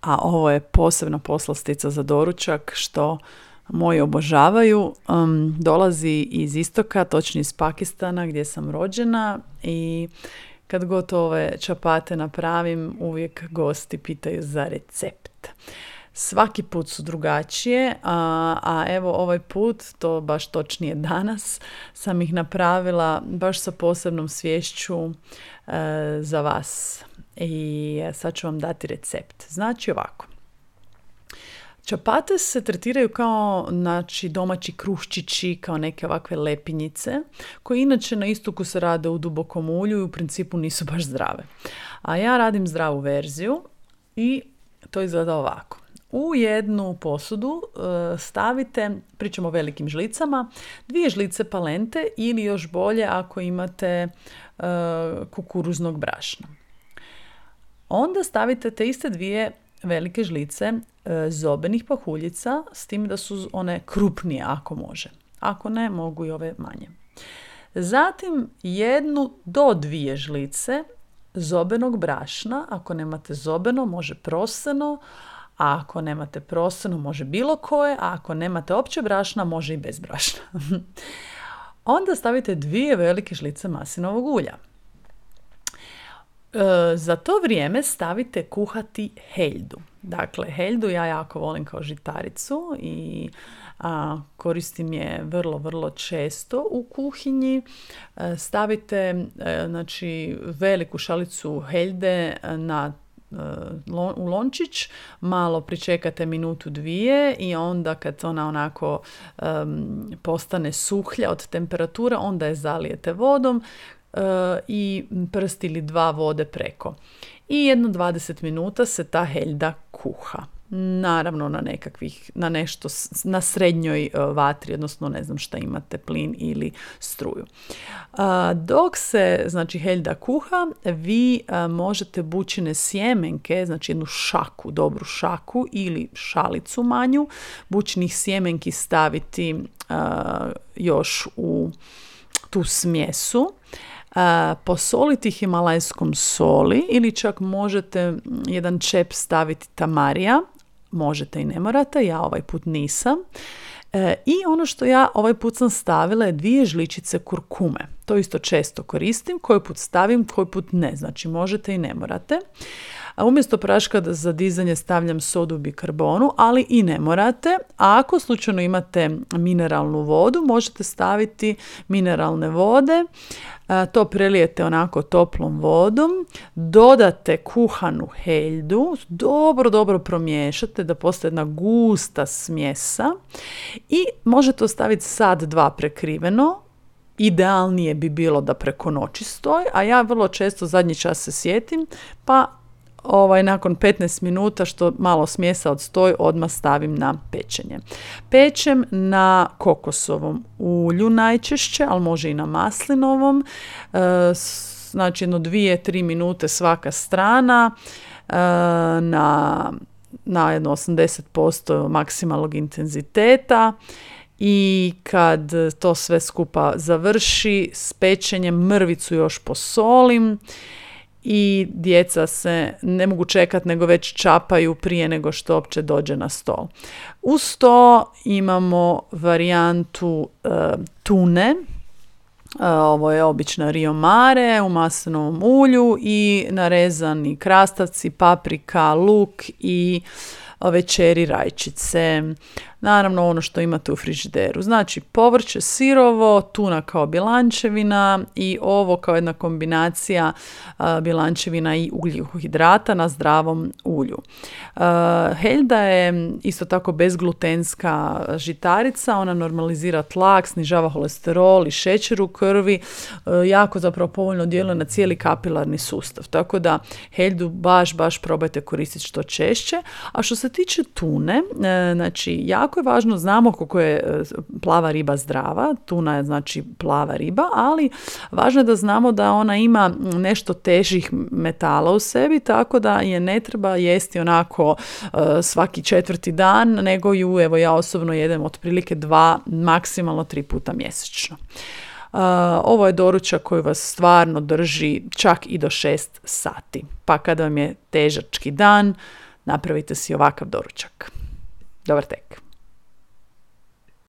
a ovo je posebna poslastica za doručak što moji obožavaju. Dolazi iz istoka, točnije iz Pakistana gdje sam rođena i kad god ove čapate napravim, uvijek gosti pitaju za recept. Svaki put su drugačije, a evo ovaj put, to baš točnije danas, sam ih napravila baš sa posebnom sviješću za vas. I sad ću vam dati recept. Znači ovako. Čapate se tretiraju kao domaći kruščići, kao neke ovakve lepinjice, koje inače na istoku se rade u dubokom ulju i u principu nisu baš zdrave. A ja radim zdravu verziju i to izgleda ovako. U jednu posudu stavite, pričamo o velikim žlicama, 2 žlice palente ili još bolje ako imate kukuruznog brašna. Onda stavite te iste 2 velike žlice zobenih pahuljica, s tim da su one krupnije ako može. Ako ne, mogu i ove manje. Zatim 1 do 2 žlice zobenog brašna, ako nemate zobeno može proseno, a ako nemate proseno može bilo koje, a ako nemate opće brašna može i bez brašna. Onda stavite 2 velike žlice maslinovog ulja. Za to vrijeme stavite kuhati heljdu. Dakle, heljdu ja jako volim kao žitaricu i koristim je vrlo, vrlo često u kuhinji. Stavite veliku šalicu heljde u lončić, malo pričekate 1-2 i onda kad ona onako postane suhlja od temperature, onda je zalijete vodom i prst ili 2 vode preko. I 20 minuta se ta heljda kuha. Naravno na srednjoj vatri, odnosno ne znam šta imate, plin ili struju. Dok se heljda kuha, vi možete bućine sjemenke, znači jednu šaku, dobru šaku ili šalicu manju, bućinih sjemenki staviti još u tu smjesu. Posoliti himalajskom soli ili čak možete jedan čep staviti tamarija, možete i ne morate, ja ovaj put nisam. I ono što ja ovaj put sam stavila je 2 žličice kurkume. To isto često koristim, koji put stavim, koji put ne, znači možete i ne morate. A umjesto praška za dizanje stavljam sodu bikarbonu, ali i ne morate. A ako slučajno imate mineralnu vodu, možete staviti mineralne vode. To prelijete onako toplom vodom, dodate kuhanu heljdu, dobro promiješate da postaje jedna gusta smjesa i možete ostaviti 1-2 prekriveno. Idealnije bi bilo da preko noći stoji, a ja vrlo često zadnji čas se sjetim, pa nakon 15 minuta što malo smjesa odstoji, odmah stavim na pečenje. Pečem na kokosovom ulju najčešće, ali može i na maslinovom. Znači 2-3 minute svaka strana na jedno 80% maksimalnog intenziteta. I kad to sve skupa završi s pečenjem, mrvicu još posolim i djeca se ne mogu čekati nego već čapaju prije nego što uopće dođe na stol. Uz to imamo varijantu tune. Ovo je obična Rio Mare u maslinovom ulju i narezani krastavci, paprika, luk i večeri rajčice. Naravno ono što imate u frižideru. Znači povrće sirovo, tuna kao bjelančevina i ovo kao jedna kombinacija bjelančevina i ugljikohidrata na zdravom ulju. Heljda je isto tako bezglutenska žitarica, ona normalizira tlak, snižava holesterol i šećer u krvi, jako zapravo povoljno djeluje na cijeli kapilarni sustav. Tako da heljdu baš probajte koristiti što češće. A što se tiče tune, znači jako je važno, znamo koliko je plava riba zdrava, tuna je znači plava riba, ali važno je da znamo da ona ima nešto težih metala u sebi, tako da je ne treba jesti onako svaki 4. dan, nego ju, evo ja osobno jedem otprilike 2, maksimalno 3 puta mjesečno. Ovo je doručak koji vas stvarno drži čak i do 6 sati. Pa kada vam je težački dan, napravite si ovakav doručak. Dobar tek!